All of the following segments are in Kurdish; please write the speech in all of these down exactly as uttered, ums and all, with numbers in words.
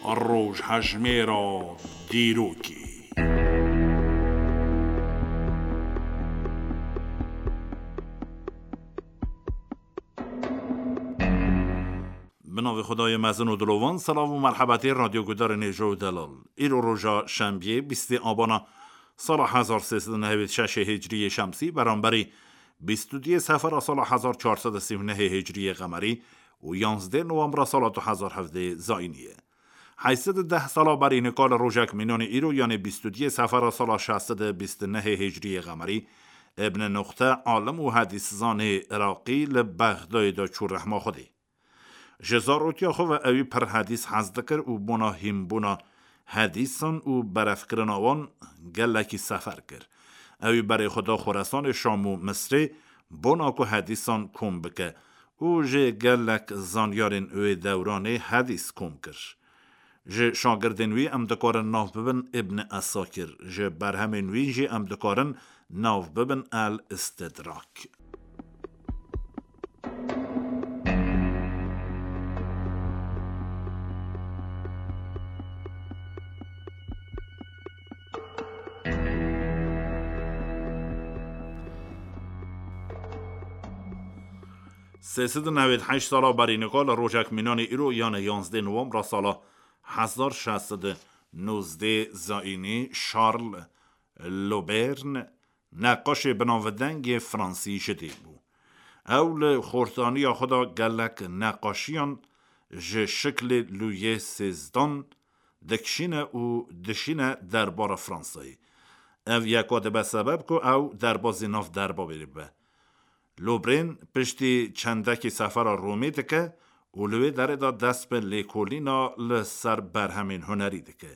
Rojhejmêra dîrokê. Bi navê Xwedayê mezin û dilovan, selav û merhebetê radyo gudarên hêja û delal. Îro roja şembiyê, bîstê abana sala hezar sê sed û nehewêd şeşê hicriyê şemsî, beramberî bîst û duyê sefera sala hezar çar sed û sî û nehê hicriyê qemerî û yanzdê nowembra sala du hezar hevdê zayînî ye. Heyşt sed û deh sala berî nika li rojek mînanê îro, yanê bîst û duyê sefera sala şeş sed û bîst û nehê hicriyê qemerî, Ibn Nuxte, alim û hedîszanê Iraqî li Bexdayê de çû rehma Xwedê. Ji zarotiya xwe ve ewî pir hedîs hez dikir û bona hînbûna hedîsan û berevkirina wan gelekî sefer kir. Ewî berê xwe da Xoresanê, Şam û Misrê, bona ku hedîsan kom bike û jê gelek zanyarên wê dewranê hedîs kom kir. Ji şagirdên wî em dikarin nav bibin Ibn Esakir, ji berhemên wî jî em dikarin nav bibin El Istidrak. Sê sed û newêd heşt sala berî nika li rojek mînanê îro, yanê yanzdê nowembra sala hezar şeş sed û nozdê zayînî, Charles Lobern, neqaşê binavdeng yê Fransî ji dê bû. Ew li xortaniya xwe de gelek neqaşiyan ji şiklê Lûyê sêzdan dikişîne û dişîne derbara Fransayê. Ev yeka dibe sebeb ku ew derbazî nav derbavê bibe. Lobrên piştî çendekî sefera Romê dike û li wê derê de dest bi lêkolîna li ser berhemên hunerî dike.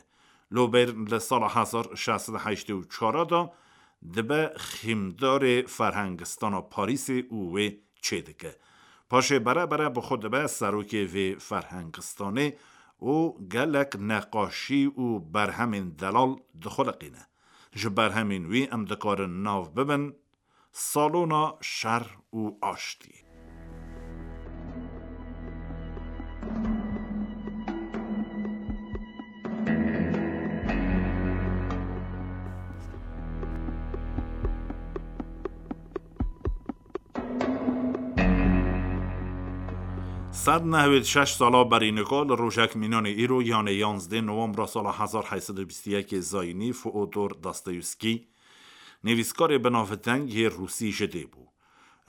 Lobern li sala hezar şeş sed û heştê û çar de dibe xîmdarê ferhengistana Parîsê û wê çêdike. Paşê bere bere bi xwe dibe serokê vê ferhengistanê û gelek neqaşî û berhemên delal dixuliqîne. Ji berhemên wî em dikarin nav bibin Salona Şer û Aştî. Sed nehwêd şeş sala berî nika li rojek mînanê îro, yanê yanzdê nowembra sala hezar heyt sed û bîst û yekê zayînî, Feodor Dostoyevskî, nivîskarê binavdeng yê Rûsî ji dê bû.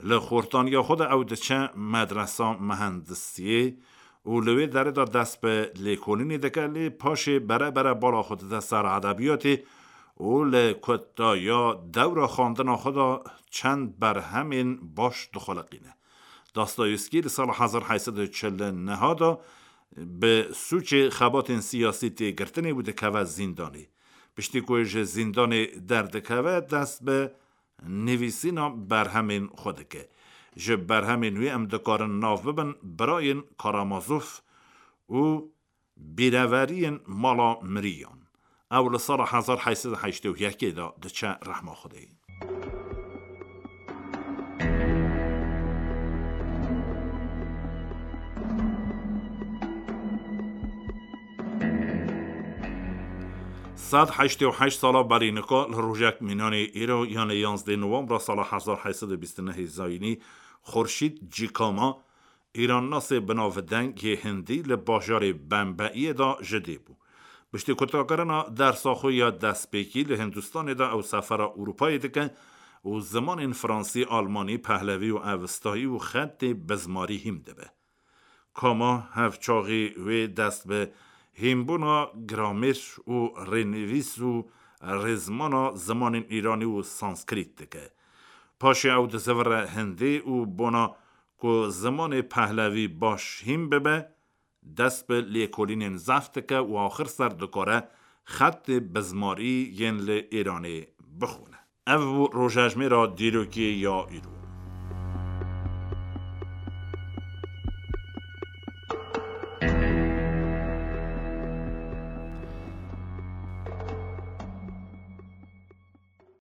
Li xortaniya xwe de ew diçe medresa mehendisiyê û li wê derê de dest bi lêkolînê dike, lê paşê bere bere bala xwe dide ser edebiyatê û li kutaya dewra xwendina xwe de çend berhemên baş dixuliqîne. Dostoyevskî li sala hezar heyt sed û çil û neh de bi sûcê xebatên siyasî tê girtinê û dikeve zîndanê. Piştî ku ji zîndanê derdikeve, dest bi nivîsîna berhemên xwe dike. Ji berhemên wî em dikarin nav bibin Birayên Karamazov û Bîreveriyên Mala Miriyan. Ew li sala hezar heyt sed û heştê û yekê de diçe rehma Xwedê. Sed heştê û heşt sala berî nika li rojek mînanê îro, yanê yanzdê nowembra sala hezar heyt sed û bîst û nehê zayînî, Xurşîd Cîkama, îrannasê binavdeng yê hindî, li bajarê Bembeiyê de ji dê bû. Piştî kutakirina dersa xwe ya destpêkî li Hindistanê de ew sefera Ewropayê dike û zimanên fransî, almanî, pehlevî û evistayî û xetê bizmarî hîm dibe. Kama hevçaxî wê dest bi hînbûna gramêr û rênivîs û rêzmana zimanên îranî û sanskrît dike. Paşê ew dizivire hindî û bona ku zimanê pehlevî baş hîn bibe, dest bi lêkolînên zehf dike û axir ser dikare xetê bizmarî yên li Îranê bixwîne. Ev bû rojejmêra dîrokê ya îro.